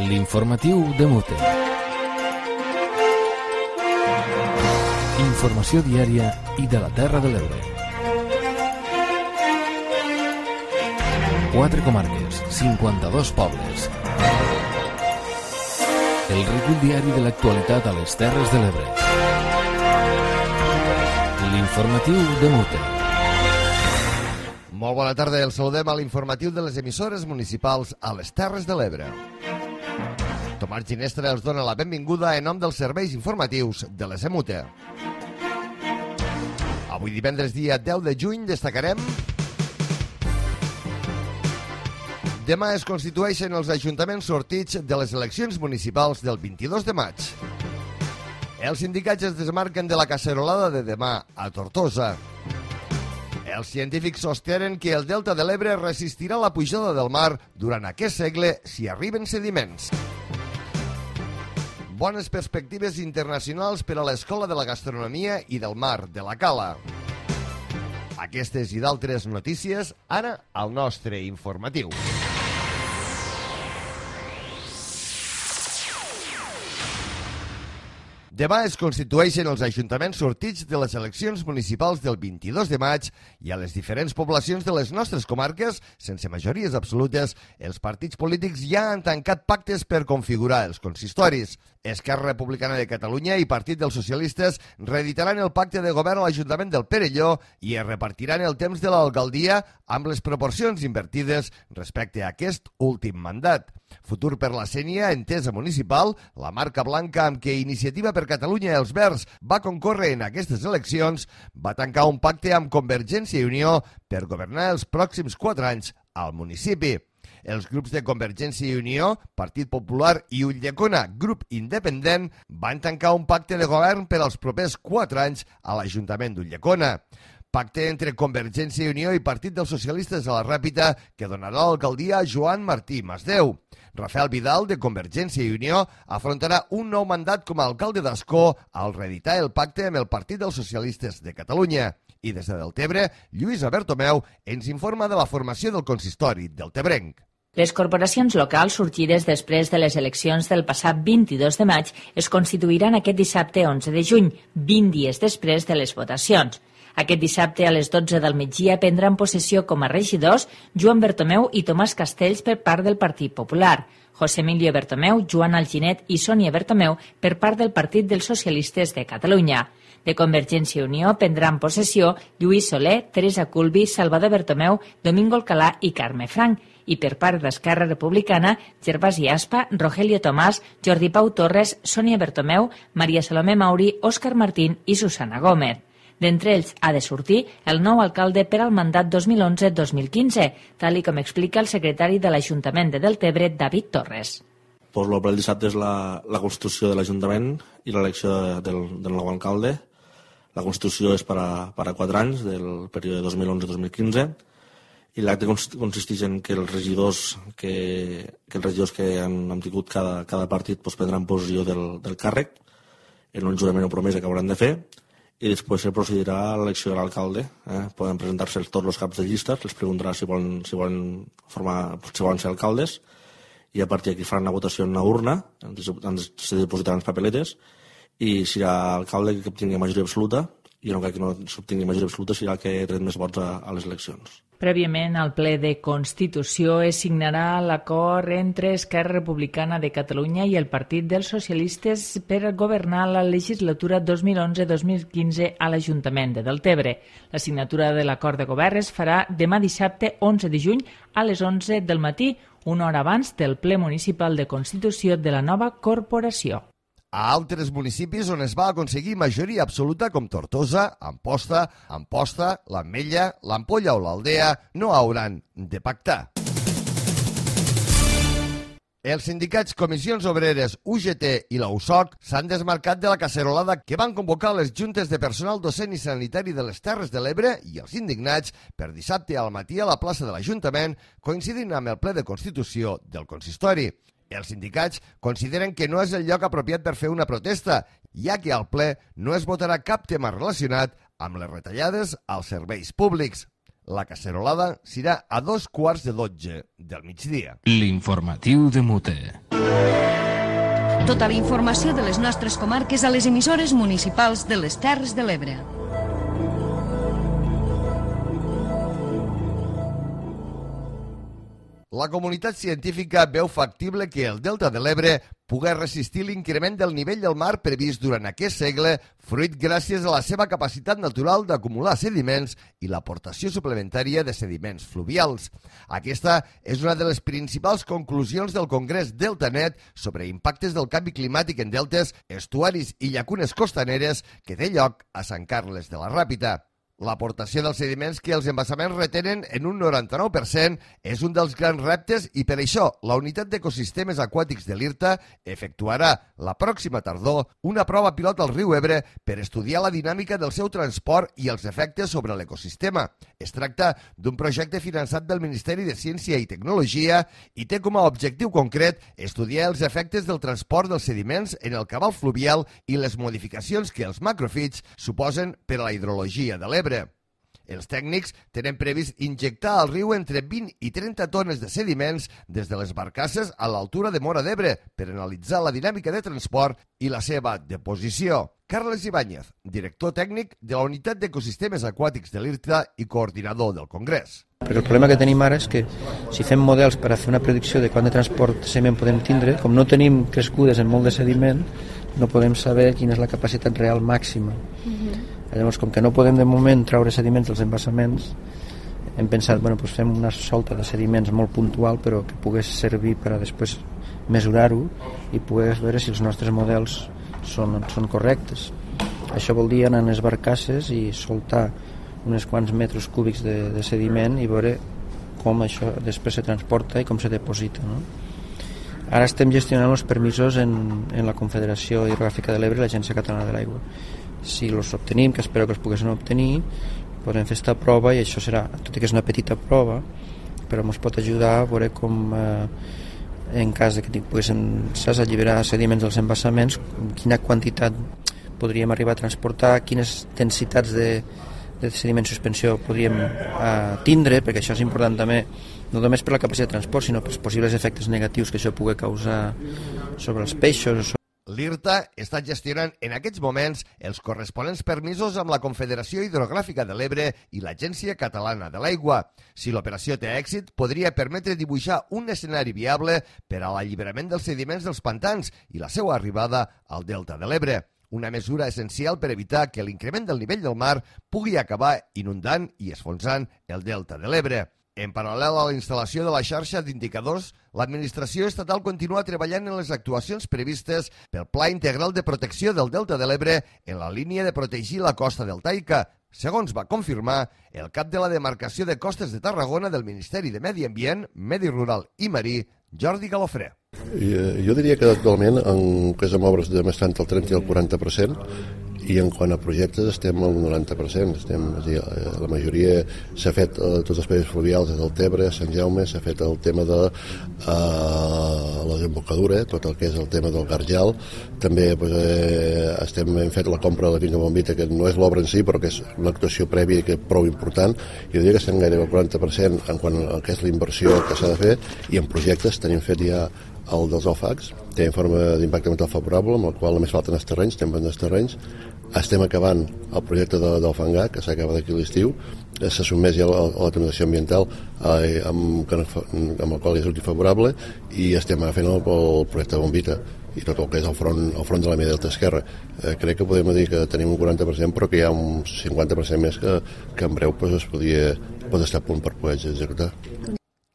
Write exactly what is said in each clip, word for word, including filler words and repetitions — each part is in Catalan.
L'informatiu de Mute. Informació diària i de la Terra de l'Ebre. Quatre comarques, cinquanta-dos pobles. El recull diari de l'actualitat a les Terres de l'Ebre. L'informatiu de Mute. Molt bona tarda, el saludem a l'informatiu de les emissores municipals a les Terres de l'Ebre. Tomàs Ginestra els dona la benvinguda en nom dels serveis informatius de l'E S M U T E. Avui divendres dia deu de juny destacarem: demà es constitueixen els ajuntaments sortits de les eleccions municipals del vint-i-dos de maig. Els sindicats es desmarquen de la cacerolada de demà a Tortosa. Els científics sostenen que el delta de l'Ebre resistirà la pujada del mar durant aquest segle si arriben sediments. Bones perspectives internacionals per a l'Escola de la Gastronomia i del Mar de la Cala. Aquestes i d'altres notícies ara al nostre informatiu. Demà es constitueixen els ajuntaments sortits de les eleccions municipals del vint-i-dos de maig i a les diferents poblacions de les nostres comarques, sense majories absolutes, els partits polítics ja han tancat pactes per configurar els consistoris. Esquerra Republicana de Catalunya i Partit dels Socialistes reeditaran el pacte de govern a l'Ajuntament del Perelló i es repartiran el temps de l'alcaldia amb les proporcions invertides respecte a aquest últim mandat. Futur per la Sénia, entesa municipal, la marca blanca amb què Iniciativa per Catalunya i els Verds va concórrer en aquestes eleccions, va tancar un pacte amb Convergència i Unió per governar els pròxims quatre anys al municipi. Els grups de Convergència i Unió, Partit Popular i Ulldecona, grup independent, van tancar un pacte de govern per als propers quatre anys a l'Ajuntament d'Ulldecona. Pacte entre Convergència i Unió i Partit dels Socialistes a la Ràpita que donarà l'alcaldia a Joan Martí Masdeu. Rafael Vidal, de Convergència i Unió, afrontarà un nou mandat com a alcalde d'Ascó al reeditar el pacte amb el Partit dels Socialistes de Catalunya. I des de Deltebre, Lluïsa Bertomeu ens informa de la formació del consistori deltebrenc. Les corporacions locals sorgides després de les eleccions del passat vint-i-dos de maig es constituiran aquest dissabte onze de juny, vint dies després de les votacions. Aquest dissabte a les dotze del migdia prendran possessió com a regidors Joan Bertomeu i Tomàs Castells per part del Partit Popular, José Emilio Bertomeu, Joan Alginet i Sònia Bertomeu per part del Partit dels Socialistes de Catalunya. De Convergència i Unió prendran possessió Lluís Soler, Teresa Culbi, Salvador Bertomeu, Domingo Alcalà i Carme Frank, i per part d'Esquerra Republicana, Gervasi Aspa, Rogelio Tomàs, Jordi Pau Torres, Sònia Bertomeu, Maria Salomé Mauri, Òscar Martín i Susana Gómez. D'entre ells ha de sortir el nou alcalde per al mandat dos mil onze dos mil quinze, tal i com explica el secretari de l'Ajuntament de Deltebre, David Torres. Pues el ple del dissabte és la, la constitució de l'Ajuntament i l'elecció del, del nou alcalde. La constitució és per a, per a quatre anys, del període dos mil onze dos mil quinze, i l'acte consisteix en que els regidors que, que, els regidors que han, han tingut cada, cada partit pues, prendran possessió del, del càrrec en un jurament o promesa que hauran de fer, i després se procedirà a l'elecció de l'alcalde. Eh? Poden presentar-se tots els caps de llista, els preguntarà si volen, si volen, formar, si volen ser alcaldes, i a partir d'aquí faran una votació en una urna, on se depositaran les papeletes, i serà l'alcalde que obtingui majoria absoluta, i en el cas que no s'obtingui majoria absoluta serà el que tret més vots a, a les eleccions. Prèviament, al ple de Constitució es signarà l'acord entre Esquerra Republicana de Catalunya i el Partit dels Socialistes per governar la legislatura dos mil onze dos mil quinze a l'Ajuntament de Deltebre. La signatura de l'acord de govern es farà demà dissabte onze de juny a les onze del matí, una hora abans del ple municipal de Constitució de la nova corporació. A altres municipis on es va aconseguir majoria absoluta com Tortosa, Amposta, Amposta, l'Ametlla, l'Ampolla o l'Aldea no hauran de pactar. Els sindicats Comissions Obreres, U G T i la U S O C s'han desmarcat de la cacerolada que van convocar les juntes de personal docent i sanitari de les Terres de l'Ebre i els indignats per dissabte al matí a la plaça de l'Ajuntament, coincidint amb el ple de Constitució del consistori. Els sindicats consideren que no és el lloc apropiat per fer una protesta, ja que al ple no es votarà cap tema relacionat amb les retallades als serveis públics. La cacerolada serà a dos quarts de dotze del migdia. L'informatiu de Mute. Tota la informació de les nostres comarques a les emissores municipals de les Terres de l'Ebre. La comunitat científica veu factible que el Delta de l'Ebre pugui resistir l'increment del nivell del mar previst durant aquest segle, fruit gràcies a la seva capacitat natural d'acumular sediments i l'aportació suplementària de sediments fluvials. Aquesta és una de les principals conclusions del Congrés DeltaNet sobre impactes del canvi climàtic en deltes, estuaris i llacunes costaneres que té lloc a Sant Carles de la Ràpita. L'aportació dels sediments que els embassaments retenen en un noranta-nou per cent és un dels grans reptes i per això la Unitat d'Ecosistemes Aquàtics de l'IRTA efectuarà la pròxima tardor una prova pilot al riu Ebre per estudiar la dinàmica del seu transport i els efectes sobre l'ecosistema. Es tracta d'un projecte finançat del Ministeri de Ciència i Tecnologia i té com a objectiu concret estudiar els efectes del transport dels sediments en el cabal fluvial i les modificacions que els macrofits suposen per a la hidrologia de l'Ebre. Els tècnics tenen previst injectar al riu entre vint i trenta tones de sediments des de les barcasses a l'altura de Móra d'Ebre per analitzar la dinàmica de transport i la seva deposició. Carles Ibáñez, director tècnic de la Unitat d'Ecosistemes Aquàtics de l'IRTA i coordinador del Congrés. Perquè el problema que tenim ara és que si fem models per a fer una predicció de quant de transport de sediment podem tindre, com no tenim crescudes en molt de sediment, no podem saber quina és la capacitat real màxima. Mm-hmm. Llavors, com que no podem de moment traure sediments dels embassaments, hem pensat, bueno, doncs fem una solta de sediments molt puntual, però que pogués servir per a després mesurar-ho i poder veure si els nostres models són, són correctes. Això vol dir anar a les barcasses i soltar uns quants metres cúbics de, de sediment i veure com això després se transporta i com se deposita, no? Ara estem gestionant els permisos en, en la Confederació Hidrogràfica de l'Ebre i l'Agència Catalana de l'Aigua. Si els obtenim, que espero que els poguessin obtenir, podrem fer aquesta prova i això serà, tot i que és una petita prova, però ens pot ajudar a veure com eh, en cas de que poguéssim saps, alliberar sediments dels embassaments, quina quantitat podríem arribar a transportar, quines densitats de, de sediment suspensió podríem eh, tindre, perquè això és important també, no només per la capacitat de transport, sinó pels possibles efectes negatius que això pugui causar sobre els peixos. L'IRTA està gestionant en aquests moments els corresponents permisos amb la Confederació Hidrogràfica de l'Ebre i l'Agència Catalana de l'Aigua. Si l'operació té èxit, podria permetre dibuixar un escenari viable per a l'alliberament dels sediments dels pantans i la seva arribada al Delta de l'Ebre. Una mesura essencial per evitar que l'increment del nivell del mar pugui acabar inundant i esfonsant el Delta de l'Ebre. En paral·lel a la instal·lació de la xarxa d'indicadors, l'administració estatal continua treballant en les actuacions previstes pel Pla Integral de Protecció del Delta de l'Ebre en la línia de protegir la costa deltaica, segons va confirmar el cap de la demarcació de Costes de Tarragona del Ministeri de Medi Ambient, Medi Rural i Marí, Jordi Galofré. Jo diria que actualment en que és amb obres de més tant el trenta i el quaranta per cent i en quant a projectes estem al noranta per cent. Estem, és a dir, la majoria s'ha fet eh, tots els països fluvials des del Tebre, Sant Jaume, s'ha fet el tema de eh, la desembocadura, tot el que és el tema del Garjal. També pues, eh, estem, hem fet la compra de la Finca Bombita, que no és l'obra en si, però que és una actuació prèvia que és prou important. Jo diria que estem gairebé al quaranta per cent en quant a que és la inversió que s'ha de fer, i en projectes tenim fet ja el dels O F A Cs, té informe d'impacte ambiental favorable, amb el qual només falten els terrenys, estem venent els terrenys. Estem acabant el projecte de, del Fangar, que s'acaba d'aquí l'estiu, se sotmet ja a la, a la tramitació ambiental eh, amb, amb el qual és útil favorable, i estem fent el, el projecte de Bombita i tot el que és el front, el front de la Mia Delta Esquerra. Eh, crec que podem dir que tenim un quaranta per cent, però que hi ha un cinquanta per cent més que, que en breu pues, es podia, pot estar a punt per poder executar.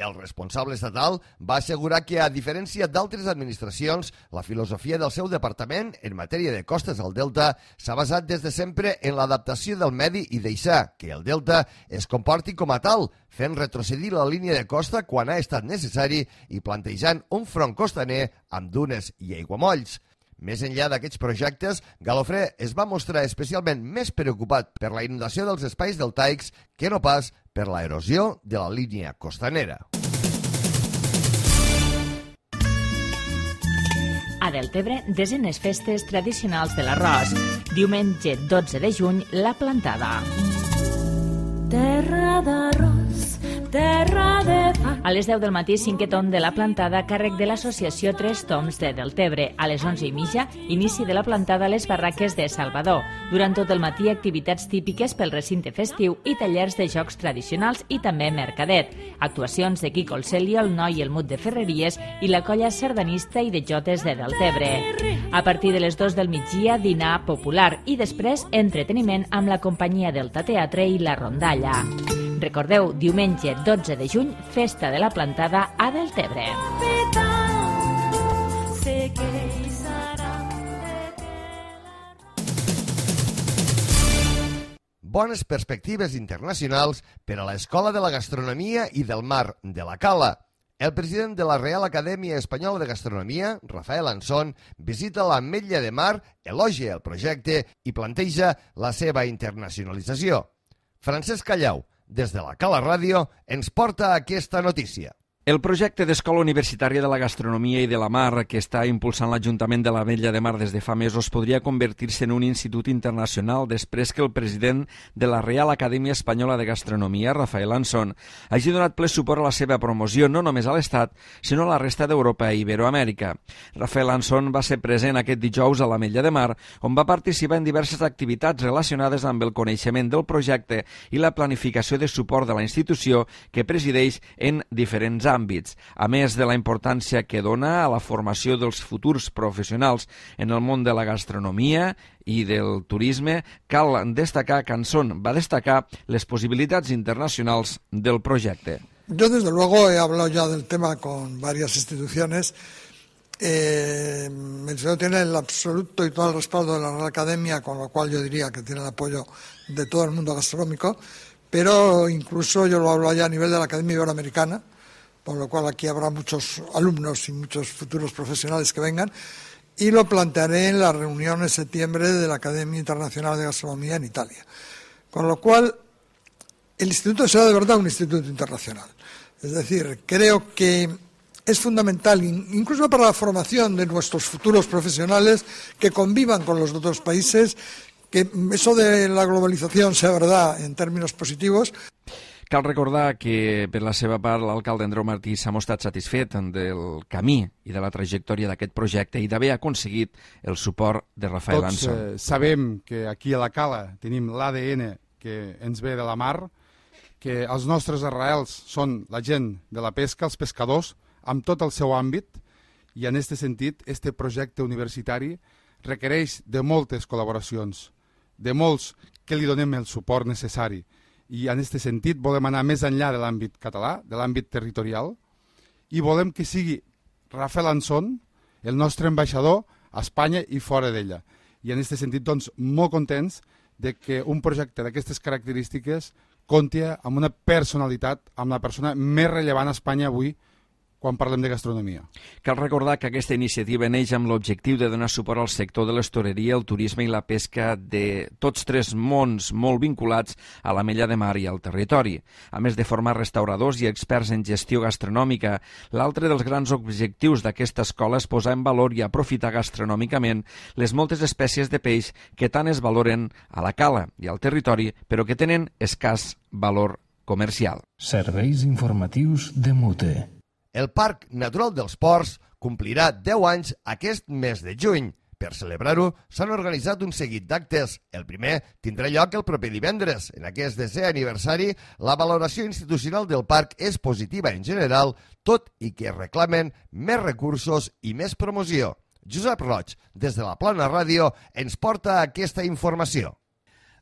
El responsable estatal va assegurar que, a diferència d'altres administracions, la filosofia del seu departament en matèria de costes al Delta s'ha basat des de sempre en l'adaptació del medi i deixar que el Delta es comporti com a tal, fent retrocedir la línia de costa quan ha estat necessari i plantejant un front costaner amb dunes i aiguamolls. Més enllà d'aquests projectes, Galofré es va mostrar especialment més preocupat per la inundació dels espais deltaics que no pas per la erosió de la línia costanera. A Deltebre, desenes festes tradicionals de l'arròs. Diumenge dotze de juny, la plantada. terra d'arròs, terra de pa. A les deu del matí, cinquè tom de la plantada a càrrec de l'associació Tres Toms de Deltebre. A les onze i mitja, inici de la plantada a les barraques de Salvador. Durant tot el matí, activitats típiques pel recinte festiu i tallers de jocs tradicionals i també mercadet. Actuacions de Quico el Celio, el Noi i el Mut de Ferreries i la colla sardanista i de jotes de Deltebre. A partir de les dos del migdia, dinar popular i després entreteniment amb la companyia Delta Teatre i la rondalla. Recordeu, diumenge dotze de juny, festa de la plantada a Deltebre. Bones perspectives internacionals per a l'Escola de la Gastronomia i del Mar de la Cala. El president de la Real Acadèmia Espanyola de Gastronomia, Rafael Anson, visita l'Ametlla de Mar, elogia el projecte i planteja la seva internacionalització. Francesc Callau, des de la Cala Ràdio, ens porta aquesta notícia. El projecte d'Escola Universitària de la Gastronomia i de la Mar, que està impulsant l'Ajuntament de l'Ametlla de Mar des de fa mesos, podria convertir-se en un institut internacional després que el president de la Real Acadèmia Espanyola de Gastronomia, Rafael Anson, hagi donat ple suport a la seva promoció no només a l'Estat, sinó a la resta d'Europa i Iberoamèrica. Rafael Anson va ser present aquest dijous a l'Ametlla de Mar, on va participar en diverses activitats relacionades amb el coneixement del projecte i la planificació de suport de la institució que presideix en diferents àmbits. àmbits, a més de la importància que dona a la formació dels futurs professionals en el món de la gastronomia i del turisme, cal destacar que Anson va destacar les posibilitats internacionals del projecte. Yo, desde luego, he hablado ya del tema con varias instituciones. Eh, el señor tiene el absoluto y todo el respaldo de la Real Academia, con lo cual yo diría que tiene el apoyo de todo el mundo gastronómico, pero incluso yo lo hablo ya a nivel de la Academia Iberoamericana, por lo cual aquí habrá muchos alumnos y muchos futuros profesionales que vengan, y lo plantearé en la reunión en septiembre de la Academia Internacional de Gastronomía en Italia. Con lo cual, el instituto será de verdad un instituto internacional. Es decir, creo que es fundamental, incluso para la formación de nuestros futuros profesionales, que convivan con los otros países, que eso de la globalización sea verdad en términos positivos. Cal recordar que, per la seva part, l'alcalde Andreu Martí s'ha mostrat satisfet del camí i de la trajectòria d'aquest projecte i d'haver aconseguit el suport de Rafael Anson. Tots eh, sabem que aquí a la Cala tenim l'A D N que ens ve de la mar, que els nostres arrels són la gent de la pesca, els pescadors, amb tot el seu àmbit, i en aquest sentit, este projecte universitari requereix de moltes col·laboracions, de molts que li donem el suport necessari. I en aquest sentit volem anar més enllà de l'àmbit català, de l'àmbit territorial, i volem que sigui Rafael Anson el nostre ambaixador a Espanya i fora d'ella. I en aquest sentit, doncs, molt contents de que un projecte d'aquestes característiques compti amb una personalitat, amb la persona més rellevant a Espanya avui, quan parlem de gastronomia. Cal recordar que aquesta iniciativa neix amb l'objectiu de donar suport al sector de l'hostaleria, el turisme i la pesca de tots tres mons molt vinculats a l'Ametlla de Mar i al territori. A més de formar restauradors i experts en gestió gastronòmica, l'altre dels grans objectius d'aquesta escola és posar en valor i aprofitar gastronòmicament les moltes espècies de peix que tant es valoren a la Cala i al territori, però que tenen escàs valor comercial. Serveis informatius de Mute. El Parc Natural dels Ports complirà deu anys aquest mes de juny. Per celebrar-ho, s'han organitzat un seguit d'actes. El primer tindrà lloc el proper divendres. En aquest desè aniversari, la valoració institucional del parc és positiva en general, tot i que reclamen més recursos i més promoció. Josep Roig, des de la Plana Ràdio, ens porta aquesta informació.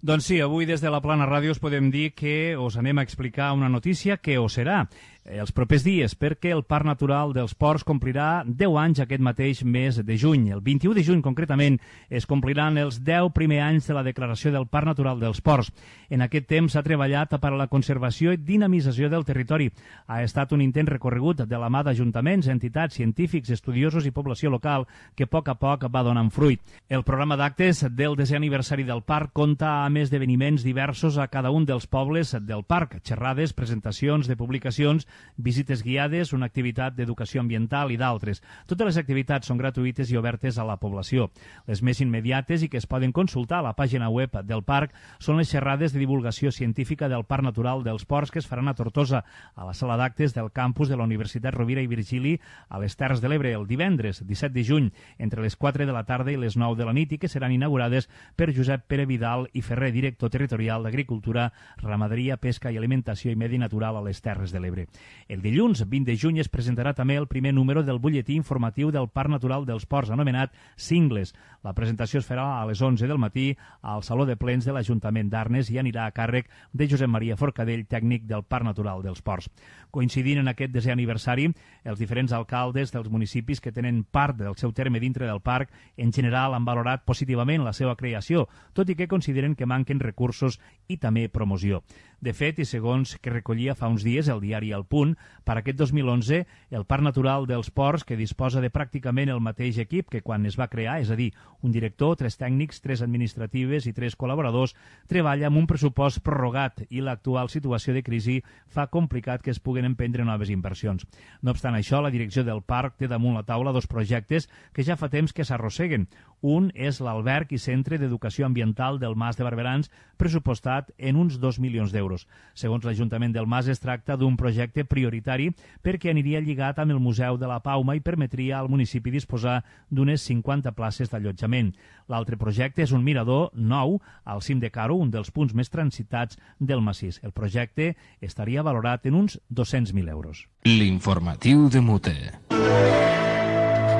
Doncs sí, avui des de la Plana Ràdio us podem dir que us anem a explicar una notícia que ho serà els propers dies, perquè el Parc Natural dels Ports complirà deu anys aquest mateix mes de juny. El vint-i-u de juny, concretament, es compliran els deu primers anys de la declaració del Parc Natural dels Ports. En aquest temps s'ha treballat per a la conservació i dinamització del territori. Ha estat un intent recorregut de la mà d'ajuntaments, entitats, científics, estudiosos i població local que a poc a poc va donant fruit. El programa d'actes del desè aniversari del parc compta amb programes d'esdeveniments diversos a cada un dels pobles del parc, xerrades, presentacions de publicacions, visites guiades, una activitat d'educació ambiental i d'altres. Totes les activitats són gratuïtes i obertes a la població. Les més immediates i que es poden consultar a la pàgina web del parc són les xerrades de divulgació científica del Parc Natural dels Ports que es faran a Tortosa, a la sala d'actes del campus de la Universitat Rovira i Virgili a les Terres de l'Ebre el divendres disset de juny entre les quatre de la tarda i les nou de la nit i que seran inaugurades per Josep Pere Vidal i Ferrer, director territorial d'Agricultura, Ramaderia, Pesca i Alimentació i Medi Natural a les Terres de l'Ebre. El dilluns vint de juny es presentarà també el primer número del butlletí informatiu del Parc Natural dels Ports, anomenat Cingles. La presentació es farà a les onze del matí al Saló de Plens de l'Ajuntament d'Arnes i anirà a càrrec de Josep Maria Forcadell, tècnic del Parc Natural dels Ports. Coincidint en aquest desè aniversari, els diferents alcaldes dels municipis que tenen part del seu terme dintre del parc en general han valorat positivament la seva creació, tot i que consideren que manquen recursos i també promoció. De fet, i segons que recollia fa uns dies el diari El Punt, per aquest dos mil onze, el Parc Natural dels Ports, que disposa de pràcticament el mateix equip que quan es va crear, és a dir, un director, tres tècnics, tres administratives i tres col·laboradors, treballa amb un pressupost prorrogat i l'actual situació de crisi fa complicat que es puguen emprendre noves inversions. No obstant això, la direcció del parc té damunt la taula dos projectes que ja fa temps que s'arrosseguen. Un és l'alberg i centre d'educació ambiental del Mas de Barberans, pressupostat en uns dos milions d'euros. Segons l'Ajuntament del Mas, es tracta d'un projecte prioritari perquè aniria lligat amb el Museu de la Pauma i permetria al municipi disposar d'unes cinquanta places d'allotjament. L'altre projecte és un mirador nou al cim de Caro, un dels punts més transitats del massís. El projecte estaria valorat en uns dos-cents mil euros. L'informatiu de Mute.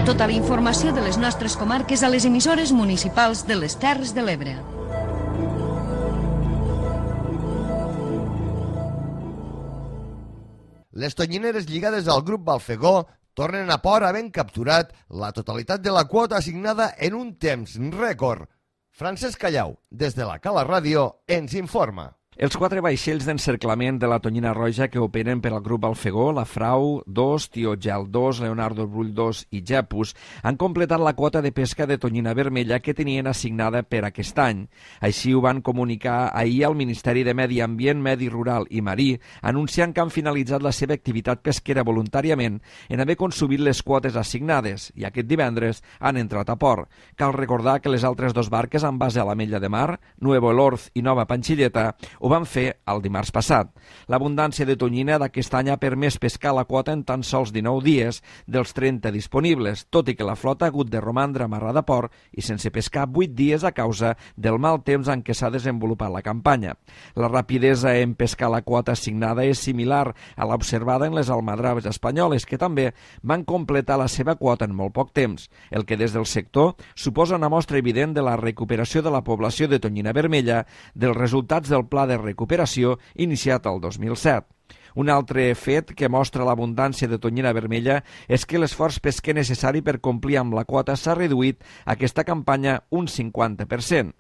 Tota la informació de les nostres comarques a les emissores municipals de les Terres de l'Ebre. Les tonyineres lligades al grup Balfegó tornen a port havent capturat la totalitat de la quota assignada en un temps rècord. Francesc Callau, des de la Cala Ràdio, ens informa. Els quatre vaixells d'encerclament de la Tonyina Roja que operen per al grup Alfegó, la Frau dos, Tio Gel dos, Leonardo Brull dos i Jepus, han completat la quota de pesca de tonyina vermella que tenien assignada per aquest any. Així ho van comunicar ahir al Ministeri de Medi Ambient, Medi Rural i Marí, anunciant que han finalitzat la seva activitat pesquera voluntàriament en haver consumit les quotes assignades i aquest divendres han entrat a port. Cal recordar que les altres dos barques amb base a l'Ametlla de Mar, Nuevo Elorz i Nova Panxilleta, ho van fer el dimarts passat. L'abundància de tonyina d'aquest any ha permès pescar la quota en tan sols dinou dies dels trenta disponibles, tot i que la flota ha hagut de romandre amarrada a port i sense pescar vuit dies a causa del mal temps en què s'ha desenvolupat la campanya. La rapidesa en pescar la quota assignada és similar a l'observada en les almadraves espanyoles, que també van completar la seva quota en molt poc temps, el que des del sector suposa una mostra evident de la recuperació de la població de tonyina vermella dels resultats del pla de recuperació iniciat el dos mil set. Un altre fet que mostra l'abundància de tonyina vermella és que l'esforç pesquer necessari per complir amb la quota s'ha reduït aquesta campanya un cinquanta per cent.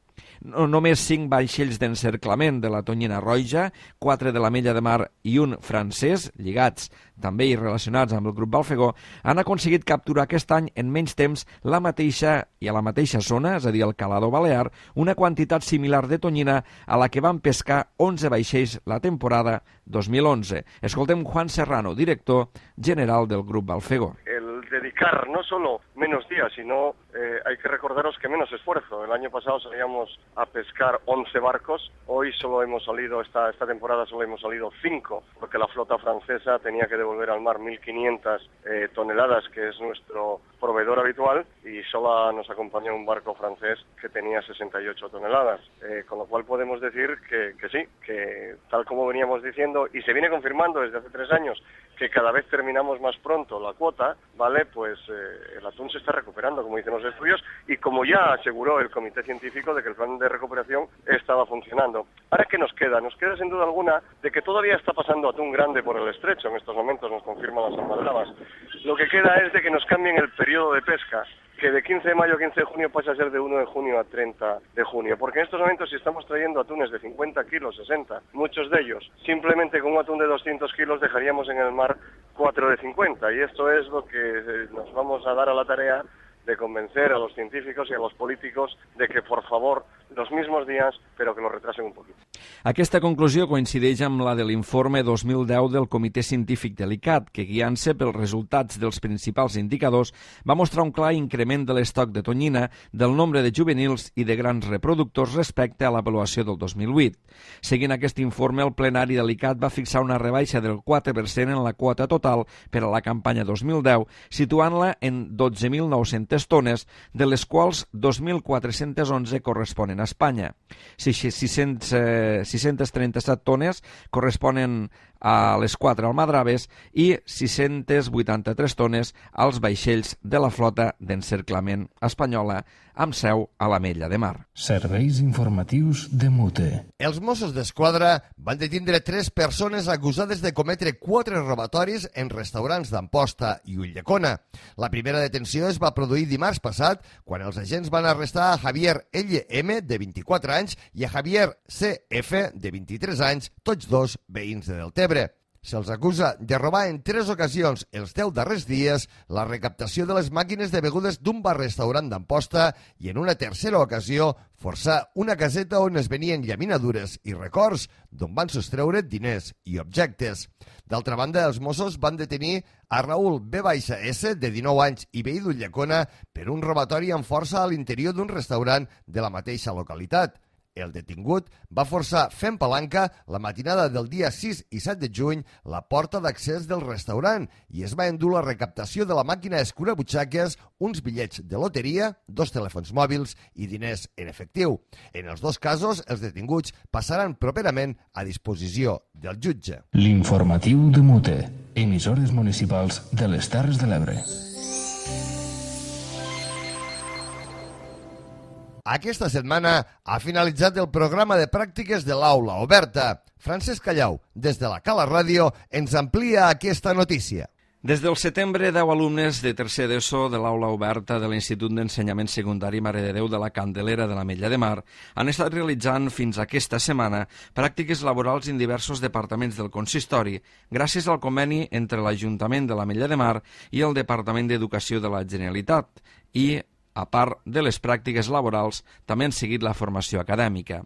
No, només cinc vaixells d'encerclament de la Tonyina Roja, quatre de l'Ametlla de Mar i un francès, lligats també i relacionats amb el grup Balfegó, han aconseguit capturar aquest any en menys temps la mateixa i a la mateixa zona, és a dir, el Calador Balear, una quantitat similar de tonyina a la que van pescar onze vaixells la temporada dos mil onze. Escoltem Juan Serrano, director general del grup Balfegó. El dedicar no solo menos días, sino eh, hay que recordaros que menos esfuerzo. El año pasado salíamos a pescar once barcos, hoy solo hemos salido, esta, esta temporada solo hemos salido cinco, porque la flota francesa tenía que devolver al mar mil quinientas eh, toneladas, que es nuestro proveedor habitual, y solo nos acompañó un barco francés que tenía sesenta y ocho toneladas, eh, con lo cual podemos decir que, que sí, que tal como veníamos diciendo, y se viene confirmando desde hace tres años, que cada vez terminamos más pronto la cuota, ¿vale? Pues eh, el atún se está recuperando, como dicen los estudios, y como ya aseguró el comité científico de que el plan de recuperación estaba funcionando. Ahora, ¿qué nos queda? Nos queda sin duda alguna de que todavía está pasando atún grande por el estrecho, en estos momentos nos confirman las almadrabas. Lo que queda es de que nos cambien el periodo de pesca, que de quince de mayo a quince de junio pasa a ser de uno de junio a treinta de junio, porque en estos momentos si estamos trayendo atunes de cincuenta kilos, sesenta, muchos de ellos, simplemente con un atún de doscientos kilos dejaríamos en el mar cuatro de cincuenta, y esto es lo que nos vamos a dar a la tarea de convencer a los científicos y a los políticos de que por favor los mismos días, pero que lo retrasen un poquito. Aquesta conclusió coincideix amb la de l'informe dos mil deu del Comitè Científic de l'I C A T, que guiant-se pels resultats dels principals indicadors va mostrar un clar increment de l'estoc de tonyina, del nombre de juvenils i de grans reproductors respecte a l'avaluació del dos mil vuit. Seguint aquest informe, el plenari de l'I C A T va fixar una rebaixa del quatre per cent en la quota total per a la campanya dos mil deu, situant-la en dotze mil nou-centes tones, de les quals dos mil quatre-cents onze corresponen a Espanya. sis-cents trenta-set tones corresponen a les quatre almadraves i sis-centes vuitanta-tres tones als vaixells de la flota d'encerclament espanyola amb seu a l'Ametlla de Mar. Serveis informatius de Mute. Els Mossos d'Esquadra van detindre tres persones acusades de cometre quatre robatoris en restaurants d'Amposta i Ulldecona. La primera detenció es va produir dimarts passat quan els agents van arrestar a Javier L M, de vint-i-quatre anys, i a Javier C F, de vint-i-tres anys, tots dos veïns de Deltebre. Se'ls acusa de robar en tres ocasions els deu darrers dies la recaptació de les màquines de begudes d'un bar-restaurant d'Amposta i en una tercera ocasió forçar una caseta on es venien llaminadures i records d'on van sostreure diners i objectes. D'altra banda, els Mossos van detenir a Raül B S, de dinou anys i veí d'Ulldecona, per un robatori amb força a l'interior d'un restaurant de la mateixa localitat. El detingut va forçar fent palanca la matinada del dia sis i set de juny la porta d'accés del restaurant i es va endur la recaptació de la màquina escurabutxaques, uns bitllets de loteria, dos telèfons mòbils i diners en efectiu. En els dos casos, els detinguts passaran properament a disposició del jutge. L'informatiu de Mute, emissores municipals de les Terres de l'Ebre. Aquesta setmana ha finalitzat el programa de pràctiques de l'Aula Oberta. Francesc Callau, des de la Cala Ràdio, ens amplia aquesta notícia. Des del setembre, deu alumnes de tercer d'ESO de l'Aula Oberta de l'Institut d'Ensenyament Secundari Mare de Déu de la Candelera de l'Ametlla de Mar han estat realitzant fins aquesta setmana pràctiques laborals en diversos departaments del consistori, gràcies al conveni entre l'Ajuntament de l'Ametlla de Mar i el Departament d'Educació de la Generalitat i, a part de les pràctiques laborals, també han seguit la formació acadèmica.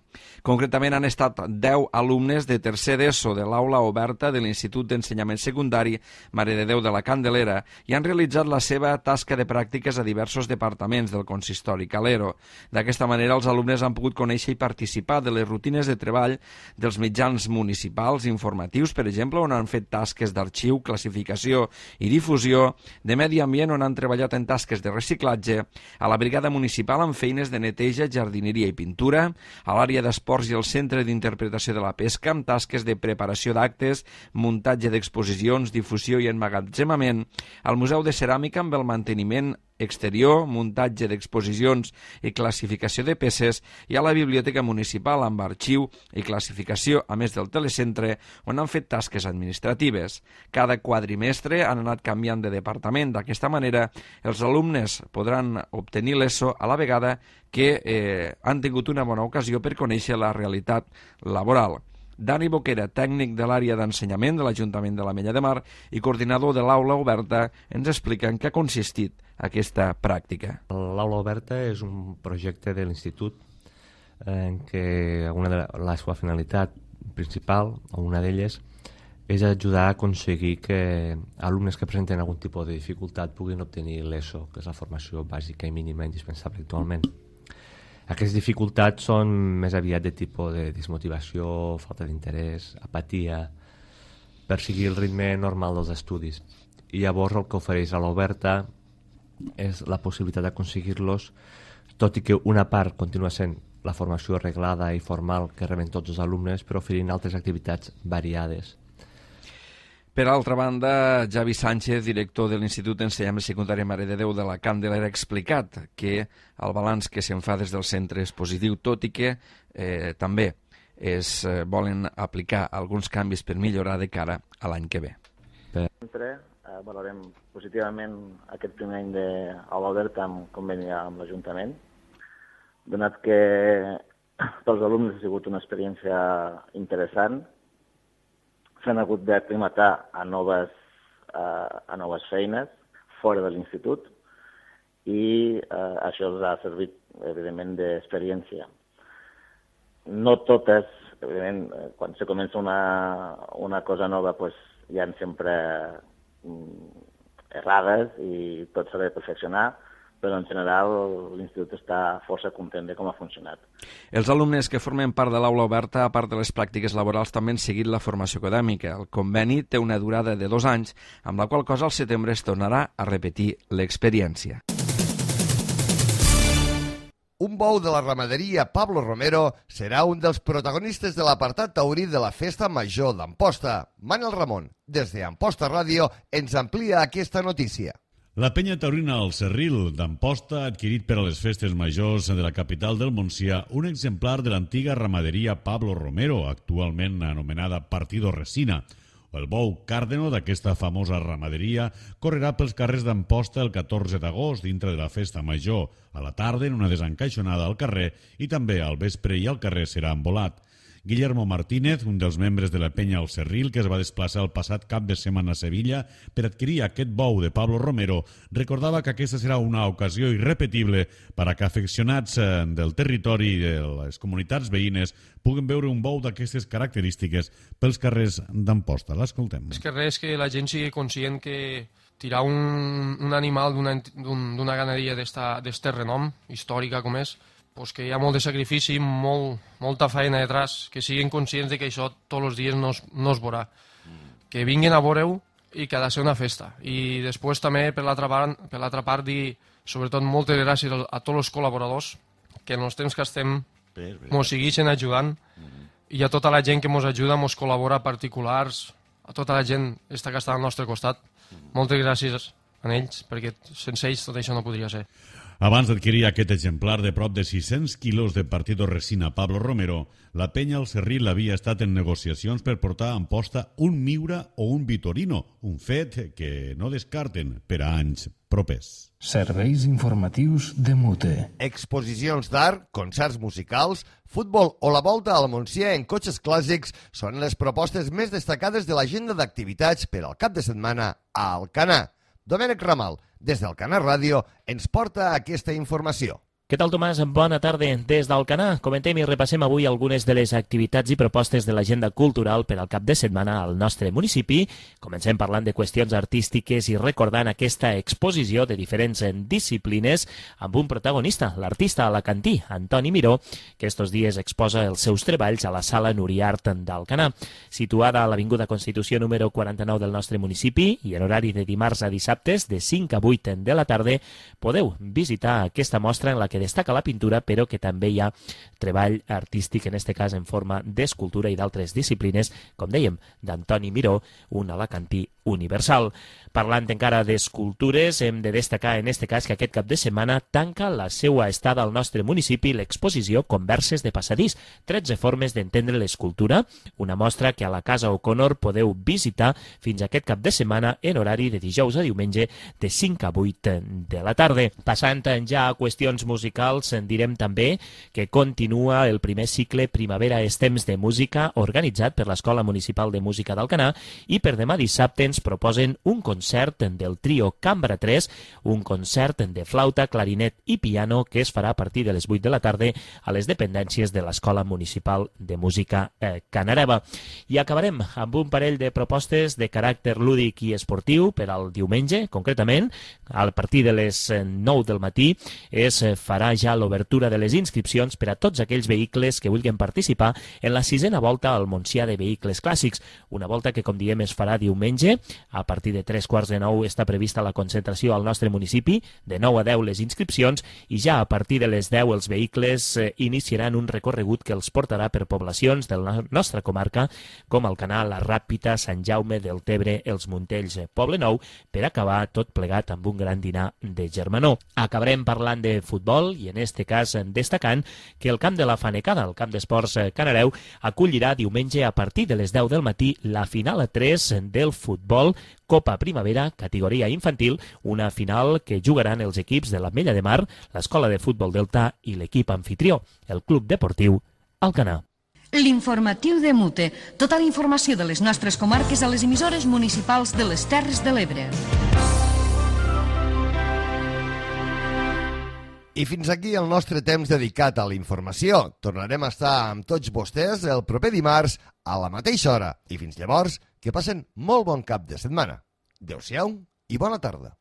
Concretament han estat deu alumnes de tercer d'ESO de l'Aula Oberta de l'Institut d'Ensenyament Secundari Mare de Déu de la Candelera i han realitzat la seva tasca de pràctiques a diversos departaments del consistori calero. D'aquesta manera, els alumnes han pogut conèixer i participar de les rutines de treball dels mitjans municipals informatius, per exemple, on han fet tasques d'arxiu, classificació i difusió, de medi ambient, on han treballat en tasques de reciclatge, a la brigada municipal amb feines de neteja, jardineria i pintura, a l'àrea d'esports i al centre d'interpretació de la pesca amb tasques de preparació d'actes, muntatge d'exposicions, difusió i emmagatzemament, al Museu de Ceràmica amb el manteniment exterior, muntatge d'exposicions i classificació de peces, i a la biblioteca municipal amb arxiu i classificació, a més del telecentre, on han fet tasques administratives. Cada quadrimestre han anat canviant de departament. D'aquesta manera, els alumnes podran obtenir l'ESO a la vegada que eh, han tingut una bona ocasió per conèixer la realitat laboral. Dani Boquera, tècnic de l'àrea d'ensenyament de l'Ajuntament de l'Ametlla de Mar i coordinador de l'Aula Oberta, ens explica en què ha consistit aquesta pràctica. L'Aula Oberta és un projecte de l'Institut en què una de la seva finalitat principal, o una d'elles, és ajudar a aconseguir que alumnes que presenten algun tipus de dificultat puguin obtenir l'ESO, que és la formació bàsica i mínima indispensable actualment. Aquestes dificultats són més aviat de tipus de desmotivació, falta d'interès, apatia, per seguir el ritme normal dels estudis. I llavors el que ofereix a l'Oberta és la possibilitat d'aconseguir-los, tot i que una part continua sent la formació reglada i formal que reben tots els alumnes, però oferint altres activitats variades. Per altra banda, Javi Sánchez, director de l'Institut d'Ensenyament Secundari Mare de Déu de la Candelera, ha explicat que el balanç que se'n fa des del centre és positiu, tot i que eh, també es eh, volen aplicar alguns canvis per millorar de cara a l'any que ve. Sempre eh, valorem positivament aquest primer any d'Aula Oberta amb conveni amb l'Ajuntament, donat que pels alumnes ha sigut una experiència interessant. S'han hagut d'aclimatar a noves, uh, a noves feines fora de l'institut i uh, això els ha servit, evidentment, d'experiència. no totes, evidentment, quan se comença una, una cosa nova, pues, hi ha sempre errades i tot s'ha de perfeccionar, però en general l'institut està força content de com ha funcionat. Els alumnes que formen part de l'aula oberta, a part de les pràctiques laborals, també han seguit la formació acadèmica. El conveni té una durada de dos anys, amb la qual cosa al setembre es tornarà a repetir l'experiència. Un bou de la ramaderia Pablo Romero serà un dels protagonistes de l'apartat taurí de la Festa Major d'Amposta. Manel Ramon, des d'Amposta Ràdio, ens amplia aquesta notícia. La penya taurina al Cerril d'Amposta ha adquirit per a les festes majors de la capital del Montsià un exemplar de l'antiga ramaderia Pablo Romero, actualment anomenada Partido Resina. El bou càrdeno d'aquesta famosa ramaderia correrà pels carrers d'Amposta el catorze d'agost dintre de la festa major, a la tarda en una desencaixonada al carrer i també al vespre i al carrer serà envolat. Guillermo Martínez, un dels membres de la penya al Cerril, que es va desplaçar el passat cap de setmana a Sevilla per adquirir aquest bou de Pablo Romero, recordava que aquesta serà una ocasió irrepetible per a que afeccionats del territori i de les comunitats veïnes puguen veure un bou d'aquestes característiques pels carrers d'Amposta. L'escoltem. És que res que la gent sigui conscient que tirar un, un animal d'una un, ganaderia d'este renom, històrica com és, pues que hi ha molt de sacrifici, molt, molta feina detrás, que siguin conscients de que això tots els dies no es, no es veurà. Que vinguin a veure-ho i que ha de ser una festa. I després també, per l'altra part, per l'altra part, dir sobretot moltes gràcies a tots els col·laboradors que en els temps que estem ens segueixen ajudant i a tota la gent que ens ajuda, ens col·labora, particulars, a tota la gent està que està al nostre costat. Moltes gràcies a ells, perquè sense ells tot això no podria ser. Abans d'adquirir aquest exemplar de prop de sis-cents quilos de Partido Resina Pablo Romero, la penya al Cerril havia estat en negociacions per portar a Amposta un Miura o un Vitorino, un fet que no descarten per a anys propers. Serveis informatius de Mute. Exposicions d'art, concerts musicals, futbol o la volta al Montsià en cotxes clàssics són les propostes més destacades de l'agenda d'activitats per al cap de setmana a Alcanar. Domènec Ramal, des d'Alcanar Ràdio, ens porta aquesta informació. Què tal, Tomàs? Bona tarda. Des d'Alcanar comentem i repassem avui algunes de les activitats i propostes de l'agenda cultural per al cap de setmana al nostre municipi. Comencem parlant de qüestions artístiques i recordant aquesta exposició de diferents disciplines amb un protagonista, l'artista alacantí, Antoni Miró, que estos dies exposa els seus treballs a la Sala Nuriart d'Alcanar. Situada a l'Avinguda Constitució número quaranta-nou del nostre municipi i en horari de dimarts a dissabtes de cinc a vuit de la tarda, podeu visitar aquesta mostra en la que que destaca la pintura, però que també hi ha treball artístic, en este cas en forma d'escultura i d'altres disciplines, com dèiem, d'Antoni Miró, un alacantí universal. Parlant encara d'escultures, hem de destacar en este cas que aquest cap de setmana tanca la seva estada al nostre municipi l'exposició Converses de passadís, tretze formes d'entendre l'escultura, una mostra que a la Casa O'Connor podeu visitar fins aquest cap de setmana en horari de dijous a diumenge de cinc a vuit de la tarda. Passant ja a qüestions musicals, en direm també que continua el primer cicle Primavera és temps de música organitzat per l'Escola Municipal de Música d'Alcanar i per demà dissabte ens proposen un concert del trio Cambra tres, un concert de flauta, clarinet i piano que es farà a partir de les vuit de la tarda a les dependències de l'Escola Municipal de Música eh, Canareva. I acabarem amb un parell de propostes de caràcter lúdic i esportiu per al diumenge, concretament, a partir de les nou del matí es farà ja l'obertura de les inscripcions per a tots aquells vehicles que vulguin participar en la sisena volta al Montsià de Vehicles Clàssics, una volta que, com diem, es farà diumenge. A partir de tres quarts de nou està prevista la concentració al nostre municipi, de nou a deu les inscripcions, i ja a partir de les deu els vehicles eh, iniciaran un recorregut que els portarà per poblacions de la nostra comarca, com Alcanar, la Ràpita, Sant Jaume del Tebre, els Muntells, Poble Nou, per acabar tot plegat amb un gran dinar de germanor. Acabarem parlant de futbol i en este cas destacant que el camp de la Fanecada, el camp d'esports Canareu, acollirà diumenge a partir de les deu del matí la final a tres del futbol Copa Primavera, categoria infantil, una final que jugaran els equips de l'Ametlla de Mar, l'Escola de Futbol Delta i l'equip anfitrió, el Club Deportiu Alcanar. L'informatiu de Mute. Tota la informació de les nostres comarques a les emissores municipals de les Terres de l'Ebre. I fins aquí el nostre temps dedicat a la informació. Tornarem a estar amb tots vostès el proper dimarts a la mateixa hora. I fins llavors, que passen molt bon cap de setmana. Adéu-siau i bona tarda.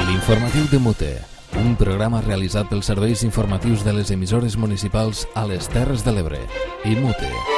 L'informatiu de Mute, un programa realitzat pels serveis informatius de les emissores municipals a les Terres de l'Ebre i Mute.